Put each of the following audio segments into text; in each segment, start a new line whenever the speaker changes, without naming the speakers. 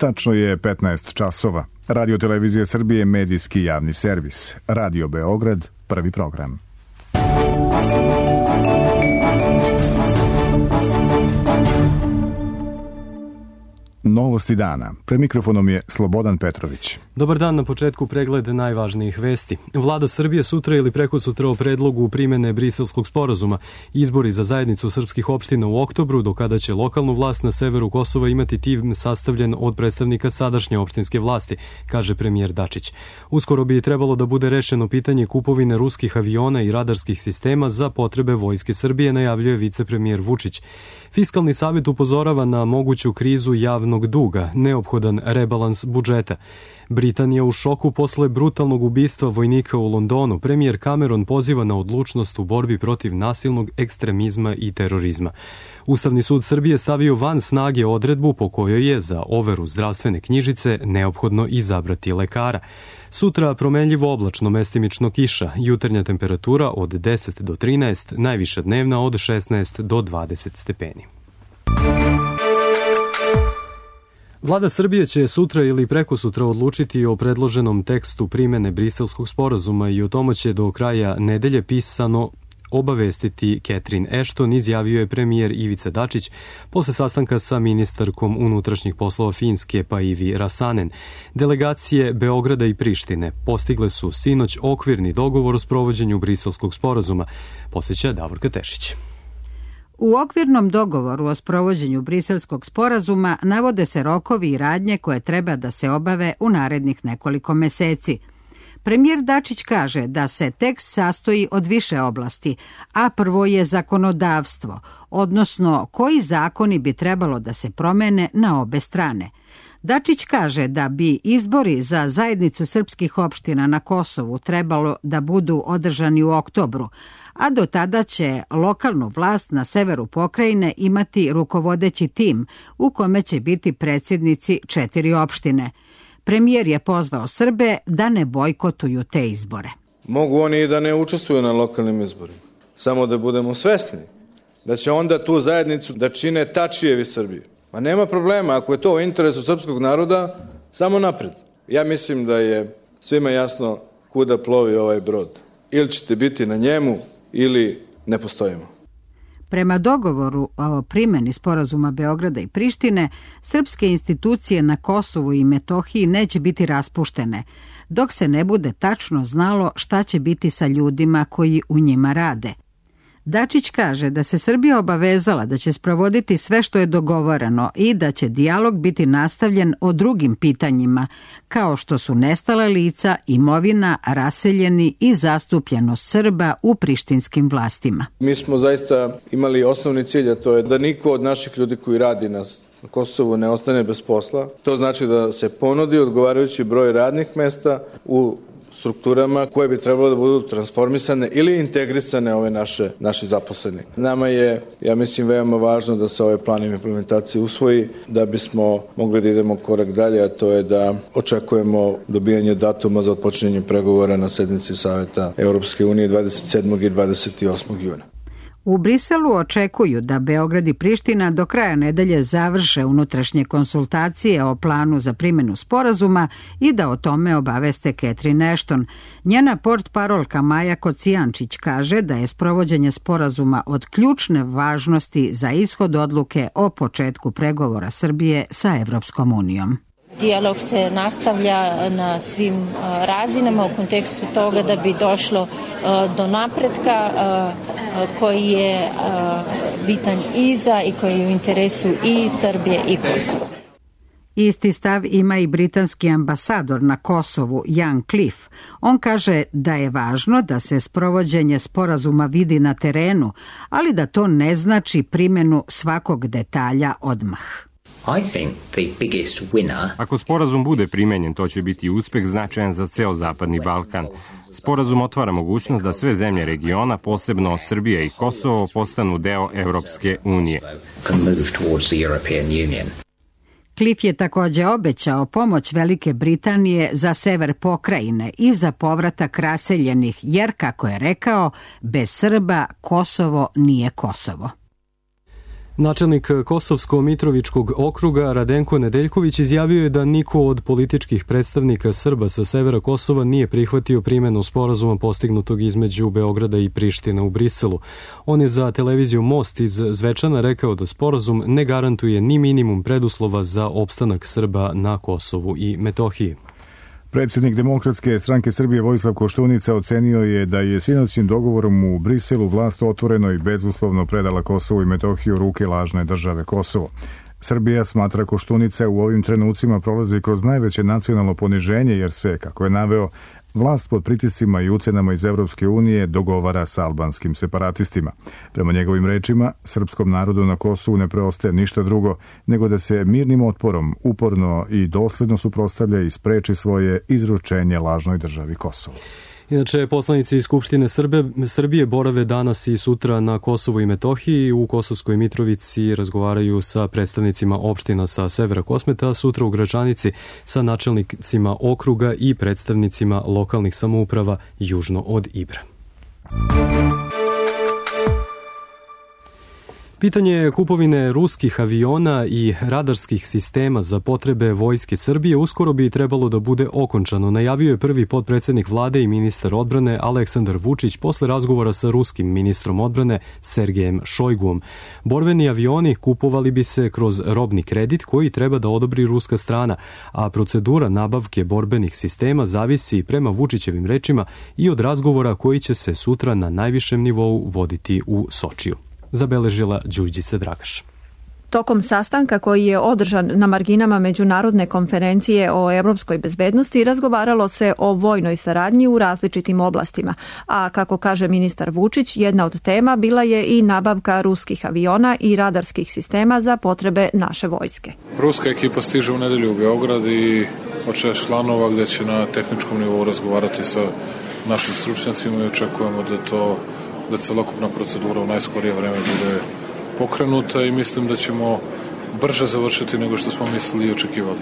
Tačno je 15 časova. Radio Televizija Srbije, medijski javni servis. Radio Beograd, prvi program. Novosti dana. Pred mikrofonom je Slobodan Petrović.
Dobar dan, na početku pregled najvažnijih vesti. Vlada Srbije sutra ili prekosutra o predlogu primene Briselskog sporazuma. Izbori za zajednicu srpskih opština u oktobru, do kada će lokalnu vlast na severu Kosova imati tim sastavljen od predstavnika sadašnje opštinske vlasti, kaže premijer Dačić. Uskoro bi trebalo da bude rešeno pitanje kupovine ruskih aviona i radarskih sistema za potrebe Vojske Srbije, najavljuje vicepremijer Vučić. Fiskalni savet upozorava na moguću krizu javnog duga, neophodan rebalans budžeta. Britanija u šoku posle brutalnog ubistva vojnika u Londonu. Premijer Cameron poziva na odlučnost u borbi protiv nasilnog ekstremizma i terorizma. Ustavni sud Srbije stavio van snage odredbu po kojoj je za overu zdravstvene knjižice neophodno izabrati lekara. Sutra promenljivo oblačno, mestimično kiša, jutarnja temperatura od 10 do 13, najviša dnevna od 16 do 20 stepeni. Vlada Srbije će sutra ili prekosutra odlučiti o predloženom tekstu primene Briselskog sporazuma i o tomu će do kraja nedelje pisano obavestiti Catherine Ashton, izjavio je premijer Ivica Dačić posle sastanka sa ministarkom unutrašnjih poslova Finske Päivi Räsänen. Delegacije Beograda i Prištine postigle su sinoć okvirni dogovor o sprovođenju Briselskog sporazuma, posjeća Davorka Tešić.
U okvirnom dogovoru o sprovođenju Briselskog sporazuma navode se rokovi i radnje koje treba da se obave u narednih nekoliko meseci. Premijer Dačić kaže da se tekst sastoji od više oblasti, a prvo je zakonodavstvo, odnosno koji zakoni bi trebalo da se promene na obe strane. Dačić kaže da bi izbori za zajednicu srpskih opština na Kosovu trebalo da budu održani u oktobru, a do tada će lokalnu vlast na severu pokrajine imati rukovodeći tim u kome će biti predsjednici 4 opštine. Premijer je pozvao Srbe da ne bojkotuju te izbore.
Mogu oni i da ne učestvuju na lokalnim izborima. Samo da budemo svesni da će onda tu zajednicu da čine Tačijevi Srbije. Ma nema problema, ako je to u interesu srpskog naroda, samo napred. Ja mislim da je svima jasno kuda plovi ovaj brod. Ili ćete biti na njemu, ili ne postojimo.
Prema dogovoru o primjeni sporazuma Beograda i Prištine, srpske institucije na Kosovu i Metohiji neće biti raspuštene, dok se ne bude tačno znalo šta će biti sa ljudima koji u njima rade. Dačić kaže da se Srbija obavezala da će sprovoditi sve što je dogovoreno i da će dijalog biti nastavljen o drugim pitanjima, kao što su nestala lica, imovina, raseljeni i zastupljenost Srba u prištinskim vlastima.
Mi smo zaista imali osnovni cilj, a to je da niko od naših ljudi koji radi na Kosovu ne ostane bez posla. To znači da se ponudi odgovarajući broj radnih mesta u strukturama koje bi trebalo da budu transformisane ili integrisane ove naši zaposleni. Nama je, ja mislim, veoma važno da se ovaj plan implementacije usvoji, da bismo mogli da idemo korak dalje, a to je da očekujemo dobijanje datuma za otpočinjanje pregovora na sednici Saveta Europske unije 27. i 28. juna.
U Briselu očekuju da Beograd i Priština do kraja nedelje završe unutrašnje konsultacije o planu za primjenu sporazuma i da o tome obaveste Catherine Ashton. Njena portparolka Maja Kocijančić kaže da je sprovođenje sporazuma od ključne važnosti za ishod odluke o početku pregovora Srbije sa Evropskom unijom.
Dijalog se nastavlja na svim razinama u kontekstu toga da bi došlo do napretka koji je bitan i za i koji je u interesu i Srbije i Kosova.
Isti stav ima i britanski ambasador na Kosovu, Ian Cliff. On kaže da je važno da se sprovođenje sporazuma vidi na terenu, ali da to ne znači primjenu svakog detalja odmah.
Ako sporazum bude primenjen, to će biti uspeh značajan za ceo Zapadni Balkan. Sporazum otvara mogućnost da sve zemlje regiona, posebno Srbija i Kosovo, postanu deo Evropske unije.
Cliff je također obećao pomoć Velike Britanije za sever pokrajine i za povratak raseljenih, jer, kako je rekao, bez Srba Kosovo nije Kosovo.
Načelnik Kosovsko-Mitrovičkog okruga Radenko Nedeljković izjavio je da niko od političkih predstavnika Srba sa severa Kosova nije prihvatio primjenu sporazuma postignutog između Beograda i Prištine u Briselu. On je za televiziju Most iz Zvečana rekao da sporazum ne garantuje ni minimum preduslova za opstanak Srba na Kosovu i Metohiji.
Predsjednik Demokratske stranke Srbije Vojislav Koštunica ocenio je da je sinoćnim dogovorom u Briselu vlast otvoreno i bezuslovno predala Kosovu i Metohiju u ruke lažne države Kosovo. Srbija, smatra Koštunica, u ovim trenucima prolazi kroz najveće nacionalno poniženje jer se, kako je naveo, vlast pod pritiscima i ucenama iz Evropske unije dogovara sa albanskim separatistima. Prema njegovim rečima, srpskom narodu na Kosovu ne preostaje ništa drugo nego da se mirnim otporom uporno i dosledno suprotstavlja i spreči svoje izručenje lažnoj državi Kosovo.
Inače, poslanici iz Skupštine Srbije borave danas i sutra na Kosovu i Metohiji. U Kosovskoj Mitrovici razgovaraju sa predstavnicima opština sa severa Kosmeta, a sutra u Gračanici sa načelnicima okruga i predstavnicima lokalnih samouprava južno od Ibra. Pitanje kupovine ruskih aviona i radarskih sistema za potrebe Vojske Srbije uskoro bi trebalo da bude okončano, najavio je prvi potpredsednik vlade i ministar odbrane Aleksandar Vučić posle razgovora sa ruskim ministrom odbrane Sergejem Šojguom. Borbeni avioni kupovali bi se kroz robni kredit koji treba da odobri ruska strana, a procedura nabavke borbenih sistema zavisi, prema Vučićevim rečima, i od razgovora koji će se sutra na najvišem nivou voditi u Sočiju. Zabeležila Đurđica Dragaš.
Tokom sastanka koji je održan na marginama Međunarodne konferencije o evropskoj bezbednosti razgovaralo se o vojnoj saradnji u različitim oblastima, a kako kaže ministar Vučić, jedna od tema bila je i nabavka ruskih aviona i radarskih sistema za potrebe naše vojske.
Ruska ekipa stiže u nedelju u Beograd i od 6 članova gde će na tehničkom nivou razgovarati sa našim stručnjacima i očekujemo da celokupna procedura u najskorije vreme bude pokrenuta i mislim da ćemo brže završiti nego što smo mislili i očekivali.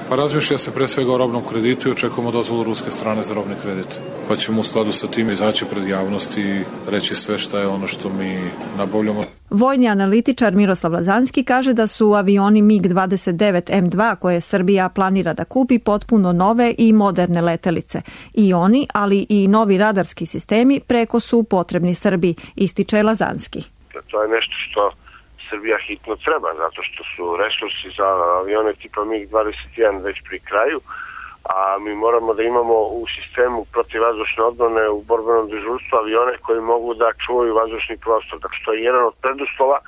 Pa razmišlja se pre svega o robnom kreditu i očekujemo dozvolu ruske strane za robni kredit. Pa ćemo u skladu sa tim izaći pred javnost i reći sve šta je ono što mi nabavljamo.
Vojni analitičar Miroslav Lazanski kaže da su avioni MiG-29 M2 koje Srbija planira da kupi potpuno nove i moderne letelice. I oni, ali i novi radarski sistemi preko su potrebni Srbiji, ističe Lazanski.
To je nešto što Srbija hitno treba, zato što su resursi za avione tipa MiG-21 već pri kraju, a mi moramo da imamo u sistemu protivvazdušne odbrane u borbenom dežurstvu avione koji mogu da čuvaju vazdušni prostor. Dakle, to je jedan od preduslova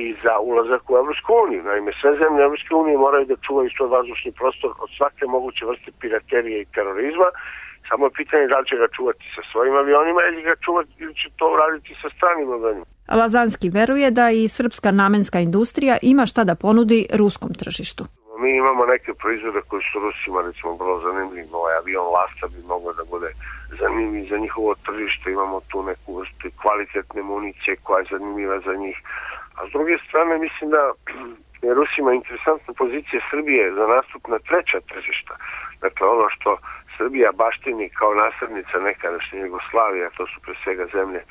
i za ulazak u Evropsku uniju. Naime, sve zemlje Evropske unije moraju da čuvaju svoj vazdušni prostor od svake moguće vrste piraterije i terorizma. Samo je pitanje da li će ga čuvati sa svojim avionima ili će to raditi sa stranim avionima.
Lazanski veruje da i srpska namenska industrija ima šta da ponudi ruskom tržištu.
Mi imamo neke proizvode koji su Rusima recimo vrlo zanimljivi. Ovaj avion Lasta bi mogao da bude zanimljiv za njihovo tržište. Imamo tu neku vrstu kvalitetne municije koja je zanimljiva za njih. A s druge strane mislim da je Rusima interesantna pozicija Srbije za nastup na treća tržišta. Dakle, ono što Srbija baštini kao naslednica nekadašnje Jugoslavije, to su pre svega zemlje,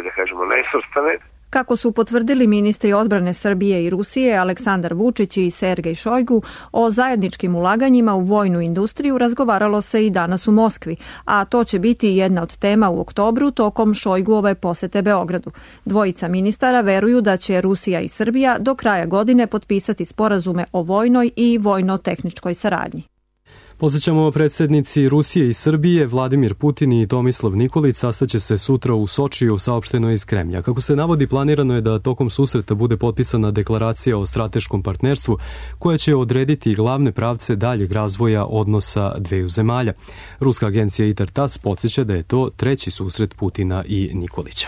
da kažemo, nesvrstane.
Kako su potvrdili ministri odbrane Srbije i Rusije Aleksandar Vučić i Sergej Šojgu, o zajedničkim ulaganjima u vojnu industriju razgovaralo se i danas u Moskvi, a to će biti jedna od tema u oktobru tokom Šojguove posete Beogradu. Dvojica ministara veruju da će Rusija i Srbija do kraja godine potpisati sporazume o vojnoj i vojno-tehničkoj saradnji.
Posjećamo predsjednici Rusije i Srbije, Vladimir Putin i Tomislav Nikolić sastaće se sutra u Sočiju, saopšteno iz Kremlja. Kako se navodi, planirano je da tokom susreta bude potpisana deklaracija o strateškom partnerstvu koja će odrediti glavne pravce daljeg razvoja odnosa dveju zemalja. Ruska agencija ITAR-TASS podsjeća da je to treći susret Putina i Nikolića.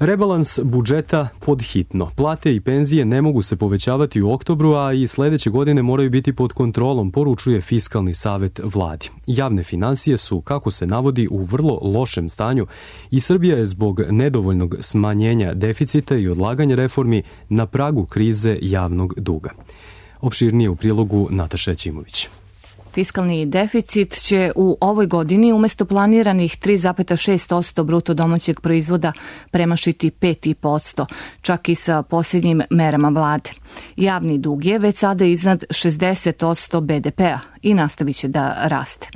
Rebalans budžeta pod hitno. Plate i penzije ne mogu se povećavati u oktobru, a i sledeće godine moraju biti pod kontrolom, poručuje Fiskalni savet vladi. Javne finansije su, kako se navodi, u vrlo lošem stanju i Srbija je zbog nedovoljnog smanjenja deficita i odlaganja reformi na pragu krize javnog duga. Opširnije u prilogu Nataša Ćimović.
Fiskalni deficit će u ovoj godini umesto planiranih 3,6% bruto domaćeg proizvoda premašiti 5,5%, čak i sa posljednjim merama vlade. Javni dug je već sada iznad 60% BDP-a i nastavit će da raste.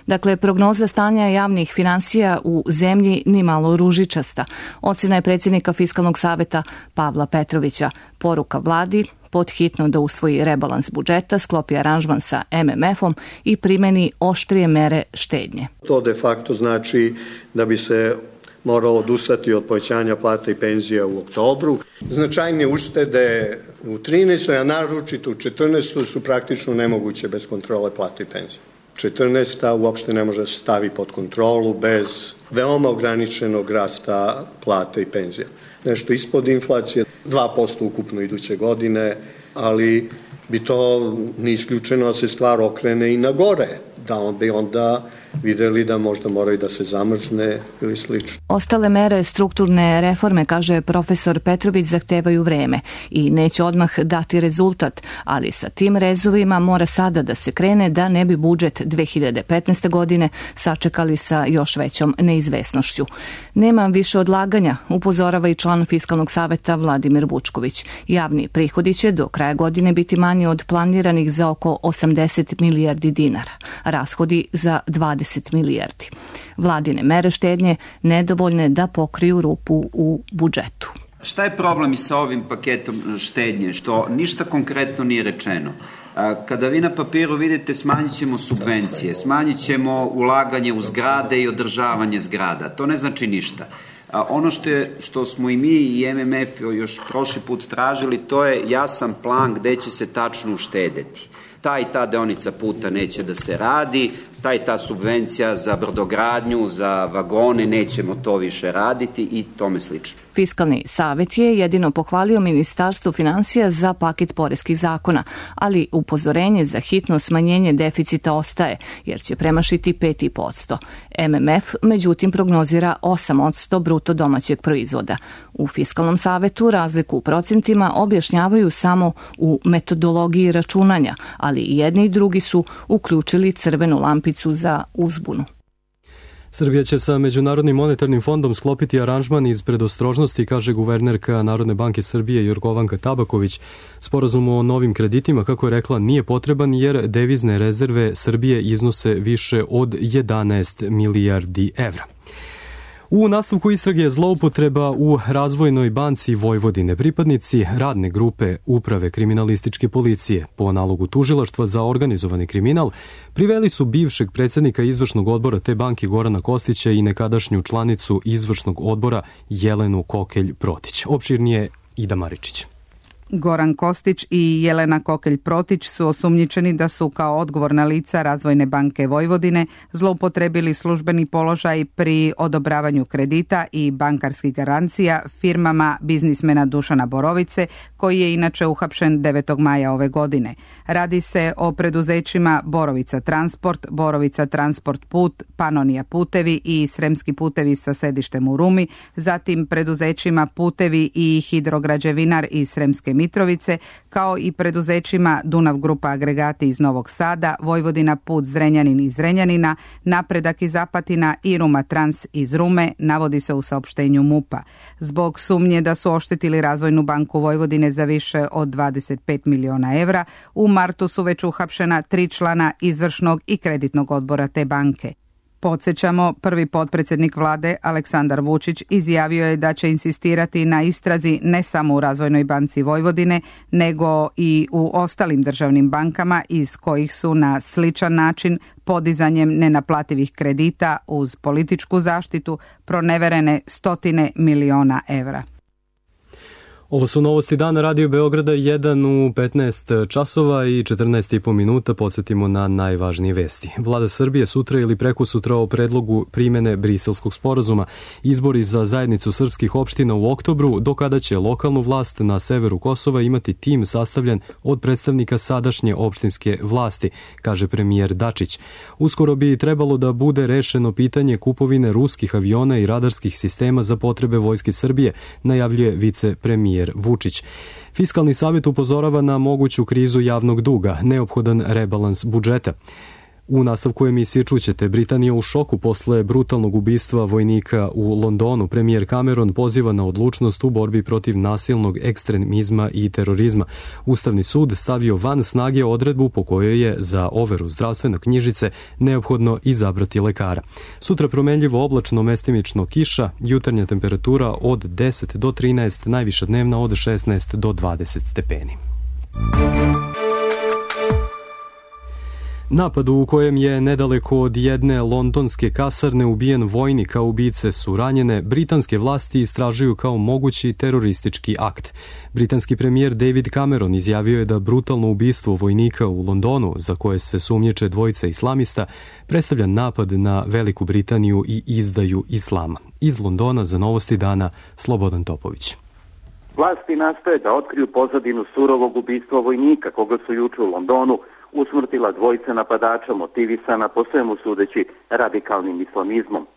Dakle, prognoza stanja javnih finansija u zemlji ni malo ružičasta. Ocena je predsjednika Fiskalnog saveta Pavla Petrovića. Poruka vladi: podhitno da usvoji rebalans budžeta, sklopi aranžman sa MMF-om i primeni oštrije mere štednje.
To de facto znači da bi se moralo odustati od povećanja plata i penzija u oktobru. Značajne uštede u 13. a naročito u 14. su praktično nemoguće bez kontrole plata i penzija. 14. uopšte ne može se stavi pod kontrolu bez veoma ograničenog rasta plata i penzija. Nešto ispod inflacije, 2% ukupno iduće godine, ali bi to ne isključeno da se stvar okrene i na gore, da bi onda videli da možda moraju da se zamrzne ili slično.
Ostale mere strukturne reforme, kaže profesor Petrović, zahtevaju vreme i neće odmah dati rezultat, ali sa tim rezovima mora sada da se krene da ne bi budžet 2015. godine sačekali sa još većom neizvesnošću. Nema više odlaganja, upozorava i član Fiskalnog saveta Vladimir Vučković. Javni prihodi će do kraja godine biti manji od planiranih za oko 80 milijardi dinara, rashodi za 20 milijardi. Vladine mere štednje nedovoljne da pokriju rupu u budžetu.
Šta je problem i sa ovim paketom štednje? Što ništa konkretno nije rečeno. Kada vi na papiru vidite smanjit ćemo subvencije, smanjit ćemo ulaganje u zgrade i održavanje zgrada, to ne znači ništa. Ono što smo i mi i MMF još prošli put tražili, to je jasan plan gde će se tačno uštedeti. Ta i ta deonica puta neće da se radi, ta i ta subvencija za brodogradnju, za vagone, nećemo to više raditi i tome slično.
Fiskalni savet je jedino pohvalio Ministarstvo finansija za paket poreskih zakona, ali upozorenje za hitno smanjenje deficita ostaje, jer će premašiti 5,5%. MMF, međutim, prognozira 8% bruto domaćeg proizvoda. U Fiskalnom savetu razliku u procentima objašnjavaju samo u metodologiji računanja, ali i jedni i drugi su uključili crvenu lampicu za uzbunu.
Srbija će sa Međunarodnim monetarnim fondom sklopiti aranžman iz predostrožnosti, kaže guvernerka Narodne banke Srbije Jorgovanka Tabaković. Sporazum o novim kreditima, kako je rekla, nije potreban jer devizne rezerve Srbije iznose više od 11 milijardi evra. U nastavku istrage zloupotreba u Razvojnoj banci Vojvodine pripadnici radne grupe Uprave kriminalističke policije po nalogu tužilaštva za organizovani kriminal priveli su bivšeg predsjednika izvršnog odbora te banke Gorana Kostića i nekadašnju članicu izvršnog odbora Jelenu Kokelj-Protić. Opširnije Ida Maričić.
Goran Kostić i Jelena Kokelj-Protić su osumnjičeni da su kao odgovorna lica Razvojne banke Vojvodine zloupotrebili službeni položaj pri odobravanju kredita i bankarskih garancija firmama biznismena Dušana Borovice, koji je inače uhapšen 9. maja ove godine. Radi se o preduzećima Borovica Transport, Borovica Transport Put, Panonija Putevi i Sremski putevi sa sedištem u Rumi, zatim preduzećima Putevi i Hidrograđevinar iz Sremske Mitrovice, kao i preduzećima Dunav Grupa Agregati iz Novog Sada, Vojvodina Put Zrenjanin iz Zrenjanina, Napredak iz Apatina i Ruma Trans iz Rume, navodi se u saopštenju MUP-a. Zbog sumnje da su oštetili Razvojnu banku Vojvodine za više od 25 miliona evra, u martu su već uhapšena 3 člana izvršnog i kreditnog odbora te banke. Podsjećamo, prvi potpredsjednik vlade Aleksandar Vučić izjavio je da će insistirati na istrazi ne samo u Razvojnoj banci Vojvodine, nego i u ostalim državnim bankama iz kojih su na sličan način podizanjem nenaplativih kredita uz političku zaštitu proneverene stotine miliona evra.
Ovo su novosti dana Radio Beograda 1 u 15 časova i 14,5 minuta. Podsjetimo na najvažnije vesti. Vlada Srbije sutra ili prekosutra o predlogu primene Briselskog sporazuma. Izbori za zajednicu srpskih opština u oktobru, do kada će lokalnu vlast na severu Kosova imati tim sastavljen od predstavnika sadašnje opštinske vlasti, kaže premijer Dačić. Uskoro bi trebalo da bude rešeno pitanje kupovine ruskih aviona i radarskih sistema za potrebe Vojske Srbije, najavljuje vicepremijer Vučić. Fiskalni savjet upozorava na moguću krizu javnog duga, neophodan rebalans budžeta. U nastavku emisije čućete Britanija u šoku posle brutalnog ubistva vojnika u Londonu. Premijer Cameron poziva na odlučnost u borbi protiv nasilnog ekstremizma i terorizma. Ustavni sud stavio van snage odredbu po kojoj je za overu zdravstvene knjižice neophodno izabrati lekara. Sutra promenljivo oblačno, mestimično kiša, jutarnja temperatura od 10 do 13, najviša dnevna od 16 do 20 stepeni. Napad u kojem je nedaleko od jedne londonske kasarne ubijen vojnik, a ubice su ranjene, britanske vlasti istražuju kao mogući teroristički akt. Britanski premijer David Cameron izjavio je da brutalno ubistvo vojnika u Londonu, za koje se sumnjiče dvojica islamista, predstavlja napad na Veliku Britaniju i izdaju islama. Iz Londona za Novosti dana Slobodan Topović.
Vlasti nastoje da otkriju pozadinu surovog ubistva vojnika, koga su juče u Londonu usmrtila dvojica napadača motivisana po svemu sudeći radikalnim islamizmom.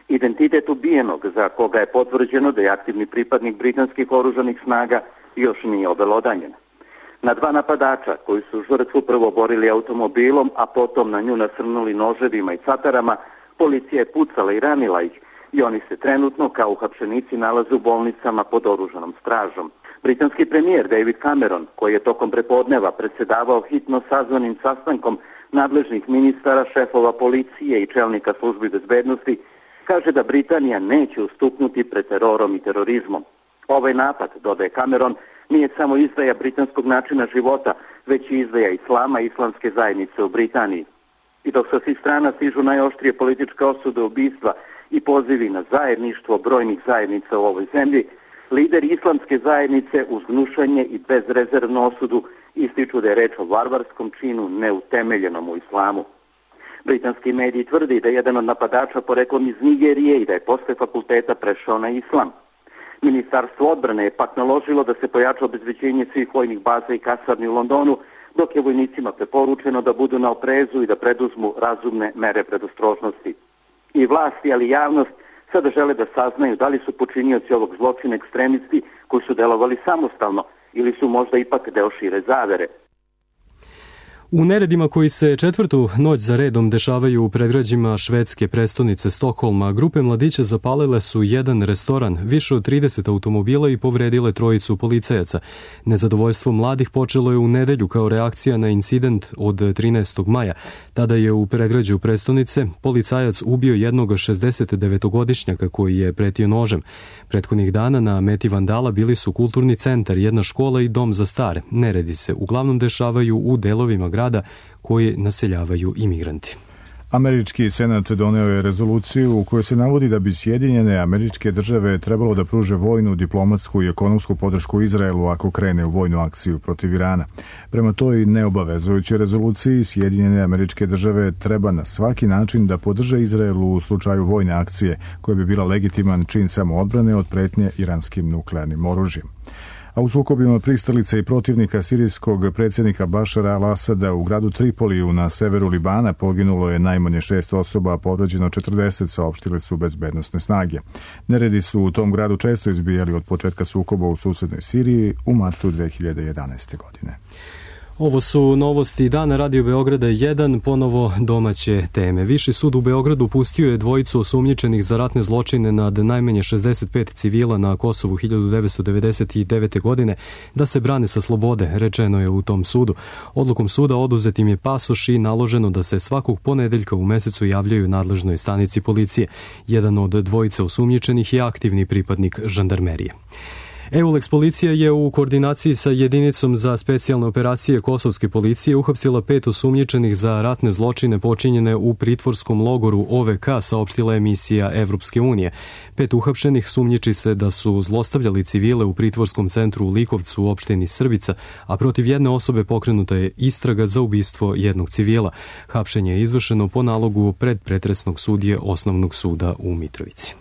Identitet ubijenog, za koga je potvrđeno da je aktivni pripadnik britanskih oružanih snaga, još nije obelodanjen. Na dva napadača koji su žrtvu prvo borili automobilom, a potom na nju nasrnuli noževima i catarama, policija je pucala i ranila ih i oni se trenutno kao uhapšenici nalaze u bolnicama pod oružanom stražom. Britanski premijer David Cameron, koji je tokom prepodneva predsjedavao hitno sazvanim sastankom nadležnih ministara, šefova policije i čelnika službi bezbednosti, kaže da Britanija neće ustupnuti pred terorom i terorizmom. Ovaj napad, dodaje Cameron, nije samo izdaja britanskog načina života, već i izdaja islama i islamske zajednice u Britaniji. I dok sa svih strana stižu najoštrije političke osude ubistva i pozivi na zajedništvo brojnih zajednica u ovoj zemlji, lideri islamske zajednice uz gnušanje i bezrezervnu osudu ističu da je reč o varvarskom činu neutemeljenom u islamu. Britanski mediji tvrdi da je jedan od napadača poreklom iz Nigerije i da je posle fakulteta prešao na islam. Ministarstvo odbrane je pak naložilo da se pojača obezbeđenje svih vojnih baza i kasarni u Londonu, dok je vojnicima preporučeno da budu na oprezu i da preduzmu razumne mere predostrožnosti. I vlasti, ali i javnost sada žele da saznaju da li su počinioci ovog zločina ekstremisti koji su delovali samostalno ili su možda ipak deo šire zavere.
U neredima koji se četvrtu noć za redom dešavaju u predgrađima švedske prestonice Stokholma, grupe mladića zapalile su jedan restoran, više od 30 automobila i povredile trojicu policajaca. Nezadovoljstvo mladih počelo je u nedelju kao reakcija na incident od 13. maja. Tada je u predgrađu prestonice policajac ubio jednog 69-godišnjaka koji je pretio nožem. Prethodnih dana na meti vandala bili su kulturni centar, jedna škola i dom za stare. Neredi se uglavnom dešavaju u delovima grada koje naseljavaju imigranti.
Američki senat doneo je rezoluciju u kojoj se navodi da bi Sjedinjene Američke Države trebalo da pruže vojnu, diplomatsku i ekonomsku podršku Izraelu ako krene u vojnu akciju protiv Irana. Prema toj neobavezujućoj rezoluciji Sjedinjene Američke Države treba na svaki način da podrže Izraelu u slučaju vojne akcije koja bi bila legitiman čin samoodbrane od pretnje iranskim nuklearnim oružjem. A u sukobima pristalica i protivnika sirijskog predsjednika Bašara al-Asada u gradu Tripoliju na severu Libana poginulo je najmanje 6 osoba, a povređeno 40, saopštile su bezbednosne snage. Neredi su u tom gradu često izbijali od početka sukoba u susednoj Siriji u martu 2011. godine.
Ovo su novosti dana Radio Beograda 1, ponovo domaće teme. Viši sud u Beogradu pustio je dvojicu osumnjičenih za ratne zločine nad najmanje 65 civila na Kosovu 1999. godine da se brane sa slobode, rečeno je u tom sudu. Odlukom suda oduzet im je pasoš i naloženo da se svakog ponedeljka u mesecu javljaju nadležnoj stanici policije. Jedan od dvojice osumnjičenih je aktivni pripadnik žandarmerije. EULEX policija je u koordinaciji sa jedinicom za specijalne operacije kosovske policije uhapsila 5 osumnjičenih za ratne zločine počinjene u pritvorskom logoru OVK, saopštila emisija Evropske unije. 5 uhapšenih sumnjiči se da su zlostavljali civile u pritvorskom centru u Likovcu u opštini Srbica, a protiv jedne osobe pokrenuta je istraga za ubistvo jednog civila. Hapšenje je izvršeno po nalogu predpretresnog sudije Osnovnog suda u Mitrovici.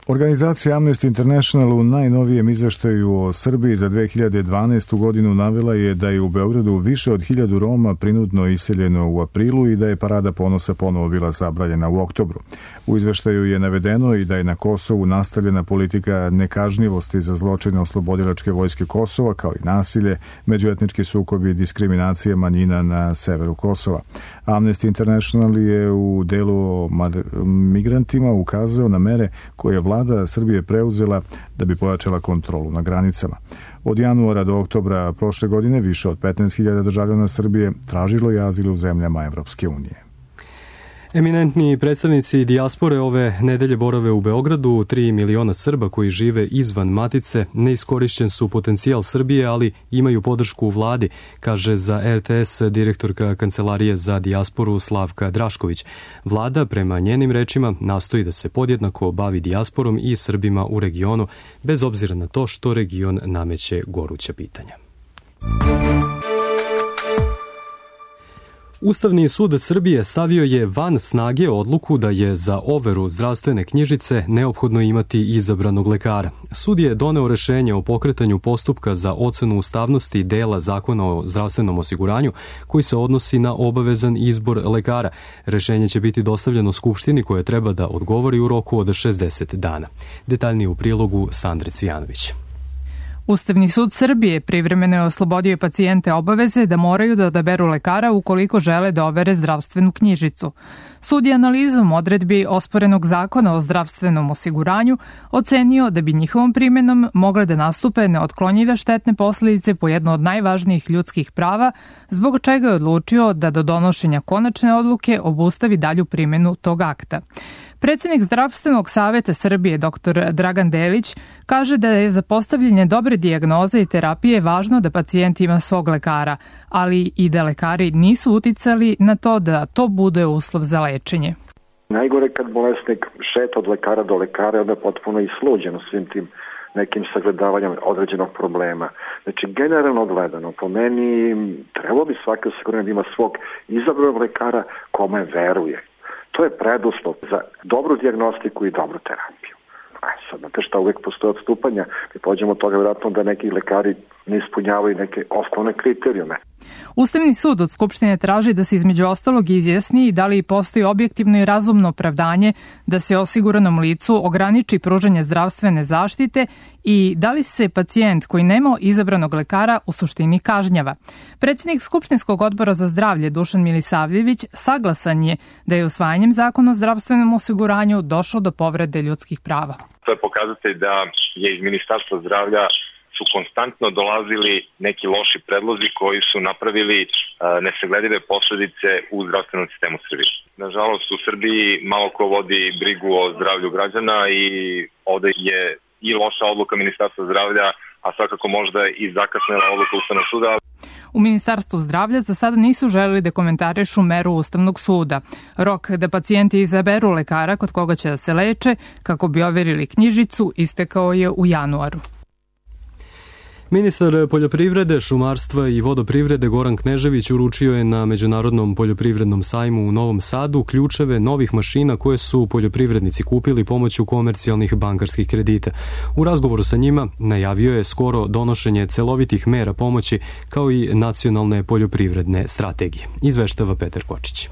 Organizacija Amnesty International u najnovijem izveštaju o Srbiji za 2012. godinu navela je da je u Beogradu više od 1000 Roma prinudno iseljeno u aprilu i da je Parada ponosa ponovo bila zabranjena u oktobru. U izveštaju je navedeno i da je na Kosovu nastavljena politika nekažnjivosti za zločine oslobodilačke vojske Kosova, kao i nasilje, međuetnički sukobi i diskriminacija manjina na severu Kosova. Amnesty International je u delu o migrantima ukazao na mere koje je vlada Srbije preuzela da bi pojačala kontrolu na granicama. Od januara do oktobra prošle godine više od 15.000 državljana Srbije tražilo je azil u zemljama Evropske unije.
Eminentni predstavnici dijaspore ove nedelje borave u Beogradu. 3 miliona Srba koji žive izvan matice. Neiskorišćen su potencijal Srbije, ali imaju podršku u vladi, kaže za RTS direktorka Kancelarije za dijasporu Slavka Drašković. Vlada, prema njenim rečima, nastoji da se podjednako bavi dijasporom i Srbima u regionu, bez obzira na to što region nameće goruća pitanja. Ustavni sud Srbije stavio je van snage odluku da je za overu zdravstvene knjižice neophodno imati izabranog lekara. Sud je doneo rešenje o pokretanju postupka za ocenu ustavnosti dela Zakona o zdravstvenom osiguranju koji se odnosi na obavezan izbor lekara. Rešenje će biti dostavljeno Skupštini koja treba da odgovori u roku od 60 dana. Detaljnije u prilogu Sandre Cvijanović.
Ustavni sud Srbije privremeno je oslobodio pacijente obaveze da moraju da odaberu lekara ukoliko žele da overe zdravstvenu knjižicu. Sud je analizom odredbi osporenog Zakona o zdravstvenom osiguranju ocenio da bi njihovom primenom mogle da nastupe neotklonjive štetne posledice po jedno od najvažnijih ljudskih prava, zbog čega je odlučio da do donošenja konačne odluke obustavi dalju primenu tog akta. Predsednik Zdravstvenog saveta Srbije, dr. Dragan Delić, kaže da je za postavljanje dobre dijagnoze i terapije važno da pacijent ima svog lekara, ali i da lekari nisu uticali na to da to bude uslov za lečenje.
Najgore kad bolesnik šeta od lekara do lekara, onda je potpuno isluđeno svim tim nekim sagledavanjem određenog problema. Znači, generalno gledano, po meni trebalo bi svaki osiguranje da ima svog izabranog lekara kome veruje. To je preduslov za dobru dijagnostiku i dobru terapiju. Sad, znate šta, uvek postoje odstupanja. Mi pođemo od toga vjerojatno da neki lekari ne ispunjavaju neke osnovne kriterijume.
Ustavni sud od Skupštine traži da se između ostalog izjasni da li postoji objektivno i razumno opravdanje da se osiguranom licu ograniči pružanje zdravstvene zaštite i da li se pacijent koji nema izabranog lekara u suštini kažnjava. Predsjednik Skupštinskog odbora za zdravlje Dušan Milisavljević saglasan je da je usvajanjem Zakona o zdravstvenom osiguranju došlo do povrede ljudskih prava.
To je pokazatelj da je iz Ministarstva zdravlja su konstantno dolazili neki loši predlozi koji su napravili nesagledive posledice u zdravstvenom sistemu Srbije. Nažalost, u Srbiji malo ko vodi brigu o zdravlju građana i ovde je i loša odluka Ministarstva zdravlja, a svakako možda i zakasnela odluka Ustavnog suda.
U Ministarstvu zdravlja za sada nisu želeli da komentarišu meru Ustavnog suda. Rok da pacijenti izaberu lekara kod koga će da se leče kako bi overili knjižicu istekao je u januaru.
Ministar poljoprivrede, šumarstva i vodoprivrede Goran Knežević uručio je na Međunarodnom poljoprivrednom sajmu u Novom Sadu ključeve novih mašina koje su poljoprivrednici kupili pomoću komercijalnih bankarskih kredita. U razgovoru sa njima najavio je skoro donošenje celovitih mera pomoći kao i nacionalne poljoprivredne strategije. Izveštava Petar Kočić.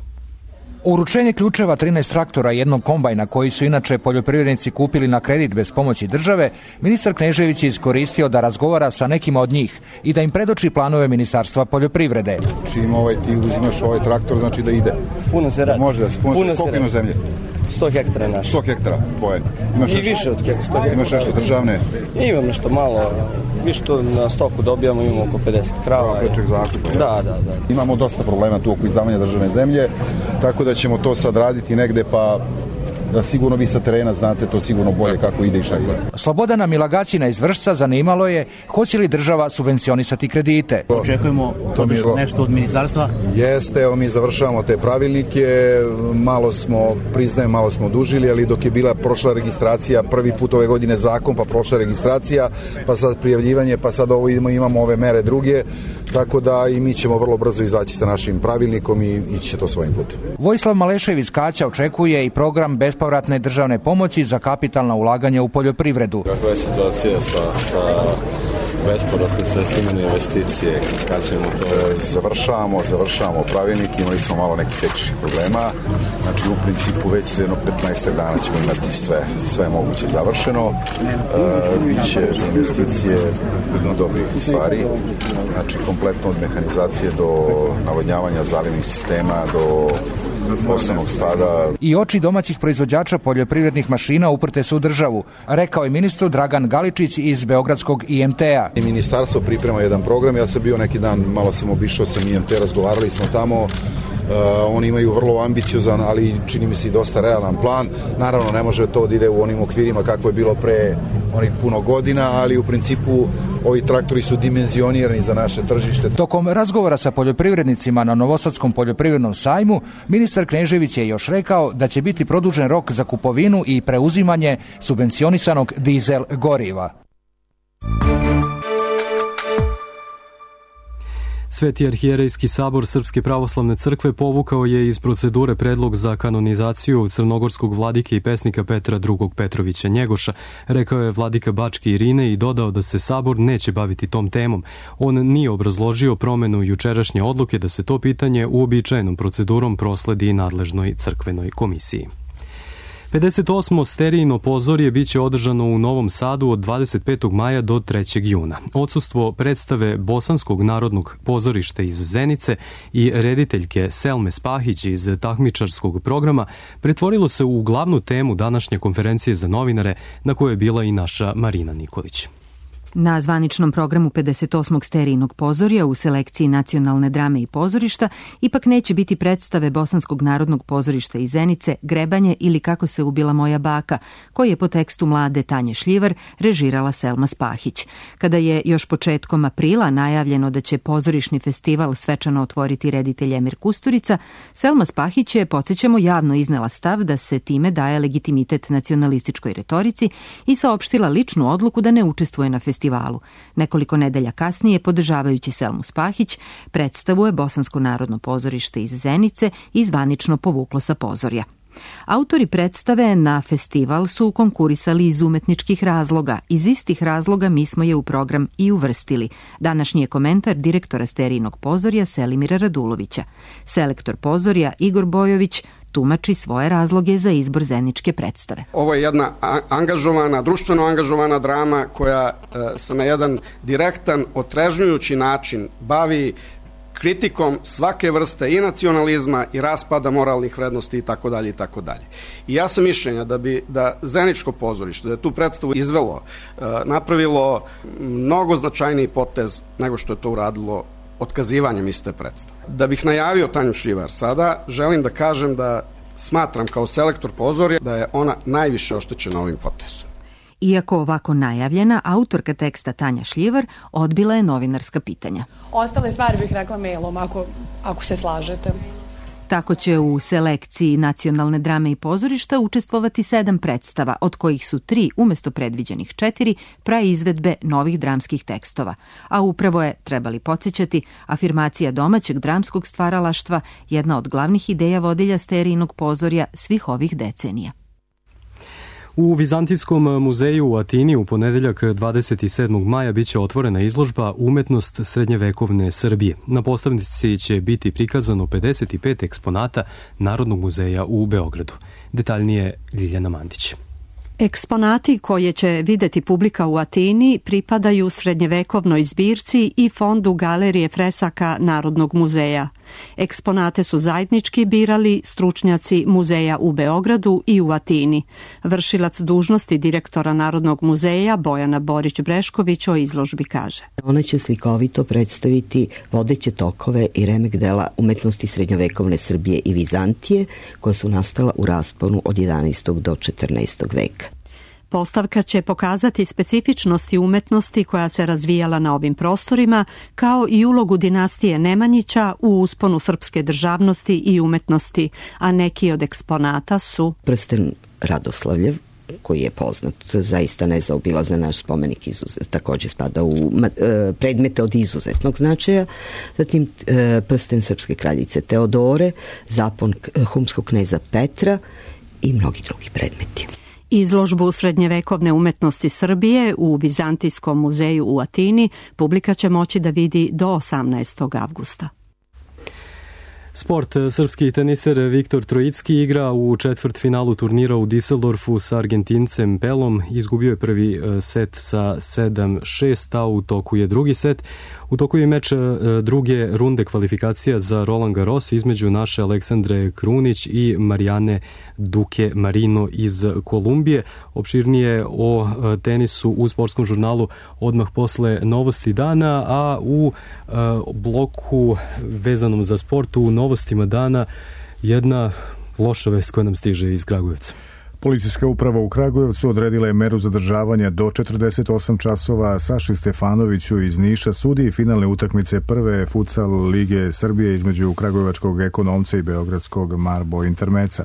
Uručenje ključeva 13 traktora i jednog kombajna koji su inače poljoprivrednici kupili na kredit bez pomoći države, ministar Knežević je iskoristio da razgovara sa nekima od njih i da im predoči planove Ministarstva poljoprivrede.
Čim ti uzimaš ovaj traktor, znači da ide.
Puno se radi.
Može da se puno se radi. Zemlje?
100 hektara naše.
100 hektara tvoje.
Imaš i više od 100 hektara.
Imaš nešto državne?
Imam nešto malo. Više to na stoku dobijamo, imamo oko 50 krava.
Prečeg zakupa.
Da.
Imamo dosta problema tu oko izdavanja državne zemlje, tako da ćemo to sad raditi negde, pa da sigurno vi sa terena znate to sigurno bolje kako ide i šta ide.
Slobodana Milagacina iz Vršca zanimalo je hoće li država subvencionisati kredite.
Očekujemo nešto od ministarstva?
Jeste, evo mi završavamo te pravilnike, malo smo dužili, ali dok je bila prošla registracija, prvi put ove godine zakon, pa prošla registracija, pa sad prijavljivanje, pa sad ovo imamo ove mere druge, tako da i mi ćemo vrlo brzo izaći sa našim pravilnikom i ići će to svojim putem.
Vojislav Malešev iz Kaća očekuje i program bespovratne državne pomoći za kapitalna ulaganja u poljoprivredu.
Kakva je situacija sa bespovratnim sredstvima na investicije? Kad ćemo to?
Završavamo pravilnik, imali smo malo nekih tehničkih problema, znači u principu već se 15 dana ćemo imati sve moguće završeno, biće za investicije dobrih stvari, znači kompletno od mehanizacije do navodnjavanja zalivnih sistema, do osnovnog stada.
I oči domaćih proizvođača poljoprivrednih mašina uprte su u državu, rekao je ministru Dragan Galičić iz Beogradskog IMT-a.
Ministarstvo priprema jedan program, ja sam bio neki dan, malo sam obišao sam IMT, razgovarali smo tamo. Oni imaju vrlo ambiciozan, ali čini mi se i dosta realan plan. Naravno, ne može to da ide u onim okvirima kako je bilo pre onih puno godina, ali u principu ovi traktori su dimenzionirani za naše tržište.
Tokom razgovora sa poljoprivrednicima na Novosadskom poljoprivrednom sajmu, ministar Knežević je još rekao da će biti produžen rok za kupovinu i preuzimanje subvencionisanog dizel goriva.
Sveti arhijerejski sabor Srpske pravoslavne crkve povukao je iz procedure predlog za kanonizaciju crnogorskog vladike i pesnika Petra II. Petrovića Njegoša, rekao je vladika Bačke Irine i dodao da se sabor neće baviti tom temom. On nije obrazložio promenu jučerašnje odluke da se to pitanje uobičajenom procedurom prosledi nadležnoj crkvenoj komisiji. 58. sterijino pozorje biće održano u Novom Sadu od 25. maja do 3. juna. Odsustvo predstave Bosanskog narodnog pozorišta iz Zenice i rediteljke Selme Spahić iz takmičarskog programa pretvorilo se u glavnu temu današnje konferencije za novinare na kojoj je bila i naša Marina Nikolić.
Na zvaničnom programu 58. sterijinog pozorja u selekciji nacionalne drame i pozorišta ipak neće biti predstave Bosanskog narodnog pozorišta iz Zenice, Grebanje ili Kako se ubila moja baka, koji je po tekstu mlade Tanje Šljivar režirala Selma Spahić. Kada je još početkom aprila najavljeno da će pozorišni festival svečano otvoriti reditelj Emir Kusturica, Selma Spahić je, podsjećamo, javno iznela stav da se time daje legitimitet nacionalističkoj retorici i saopštila ličnu odluku da ne učestvuje na festivalu. Nekoliko nedelja kasnije, podržavajući Selmu Spahić, predstavu je Bosansko narodno pozorište iz Zenice i zvanično povuklo sa pozorja. Autori predstave na festival su konkurisali iz umetničkih razloga. Iz istih razloga mi smo je u program i uvrstili. Današnji je komentar direktora sterijinog pozorja Selimira Radulovića. Selektor pozorja Igor Bojović tumači svoje razloge za izbor zeničke predstave.
Ovo je jedna angažovana, društveno angažovana drama koja se na jedan direktan, otrežnjujući način bavi kritikom svake vrste i nacionalizma i raspada moralnih vrednosti i tako dalje i tako dalje. I ja sam mišljenja da Zeničko pozorište, da je tu predstavu izvelo, napravilo mnogo značajniji potez nego što je to uradilo otkazivanjem iste predstave. Da bih najavio Tanju Šljivar sada, želim da kažem da smatram kao selektor pozorja da je ona najviše oštećena ovim potezom.
Iako ovako najavljena, autorka teksta Tanja Šljivar odbila je novinarska pitanja.
Ostale stvari bih rekla mailom, ako se slažete.
Tako će u selekciji nacionalne drame i pozorišta učestvovati 7 predstava, od kojih su 3 umesto predviđenih 4 praizvedbe novih dramskih tekstova. A upravo je, trebali podsjećati, afirmacija domaćeg dramskog stvaralaštva jedna od glavnih ideja vodilja sterijinog pozorja svih ovih decenija.
U Vizantijskom muzeju u Atini u ponedeljak 27. maja biće otvorena izložba Umetnost srednjevekovne Srbije. Na postavnici će biti prikazano 55 eksponata Narodnog muzeja u Beogradu. Detaljnije Ljiljana Mandić.
Eksponati koje će videti publika u Atini pripadaju srednjevekovnoj zbirci i fondu Galerije fresaka Narodnog muzeja. Eksponate su zajednički birali stručnjaci muzeja u Beogradu i u Atini. Vršilac dužnosti direktora Narodnog muzeja Bojana Borić-Brešković o izložbi kaže.
Ona će slikovito predstaviti vodeće tokove i remek dela umetnosti srednjovekovne Srbije i Vizantije koja su nastala u rasponu od 11. do 14. veka.
Postavka će pokazati specifičnosti umetnosti koja se razvijala na ovim prostorima, kao i ulogu dinastije Nemanjića u usponu srpske državnosti i umetnosti, a neki od eksponata su
prsten Radoslavljev, koji je poznat, zaista nezaobilazan naš spomenik, također spada u predmete od izuzetnog značaja. Zatim prsten srpske kraljice Teodore, zapon humskog kneza Petra i mnogi drugi predmeti.
Izložbu srednjevekovne umetnosti Srbije u Vizantijskom muzeju u Atini publika će moći da vidi do 18. avgusta.
Sport. Srpski teniser Viktor Trojicki igra u četvrtfinalu turnira u Düsseldorfu sa Argentincem Pelom. Izgubio je prvi set sa 7-6, a u toku je drugi set. U toku je meč druge runde kvalifikacija za Roland Garros između naše Aleksandre Krunić i Marijane Duke Marino iz Kolumbije. Opširnije o tenisu u sportskom žurnalu odmah posle novosti dana, a u bloku vezanom za sport u novostima dana jedna loša vest koja nam stiže iz Kragujevca.
Policijska uprava u Kragujevcu odredila je meru zadržavanja do 48 časova Saši Stefanoviću iz Niša, sudiji finalne utakmice prve futsal lige Srbije između kragujevačkog Ekonomca i beogradskog Marbo Intermeca.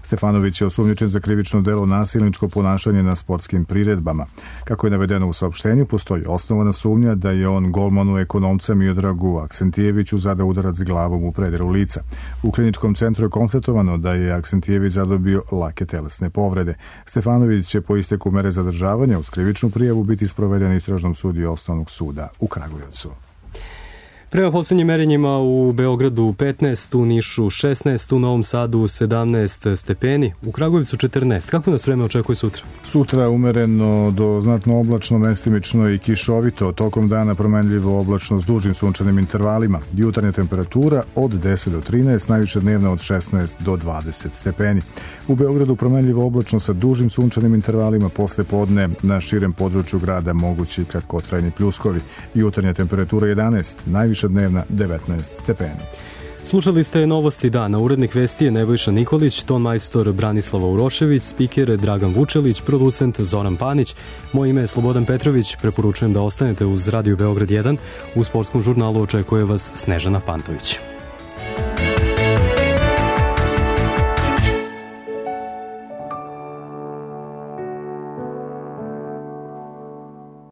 Stefanović je osumnjičen za krivično delo nasilničko ponašanje na sportskim priredbama. Kako je navedeno u saopštenju, postoji osnovana sumnja da je on golmanu Ekonomca Miodragu Aksentijeviću zadao udarac glavom u predelu lica. U kliničkom centru je konstatovano da je Aksentijević zadobio lake telesne povrede. Stefanović će po isteku mere zadržavanja uz krivičnu prijavu biti sproveden istražnom sudiji Osnovnog suda u Kragujevcu.
Prema poslednjim merenjima u Beogradu 15, u Nišu 16, u Novom Sadu 17 stepeni, u Kragujevcu 14. Kako nas vreme očekuje sutra?
Sutra umereno do znatno oblačno, mestimično i kišovito, tokom dana promenljivo oblačno s dužim sunčanim intervalima. Jutarnja temperatura od 10 do 13, najviša dnevna od 16 do 20 stepeni. U Beogradu promenljivo oblačno sa dužim sunčanim intervalima, posle podne na širem području grada mogući kratkotrajni pljuskovi. Jutarnja temperatura 11, najviša dnevna 19 stepeni.
Slušali ste novosti dana. Urednik vesti je Nebojša Nikolić, ton majstor Branislava Urošević, spiker Dragan Vučelić, producent Zoran Panić. Moje ime je Slobodan Petrović. Preporučujem da ostanete uz Radio Beograd 1. U sportskom žurnalu očekuje vas Snežana Pantović.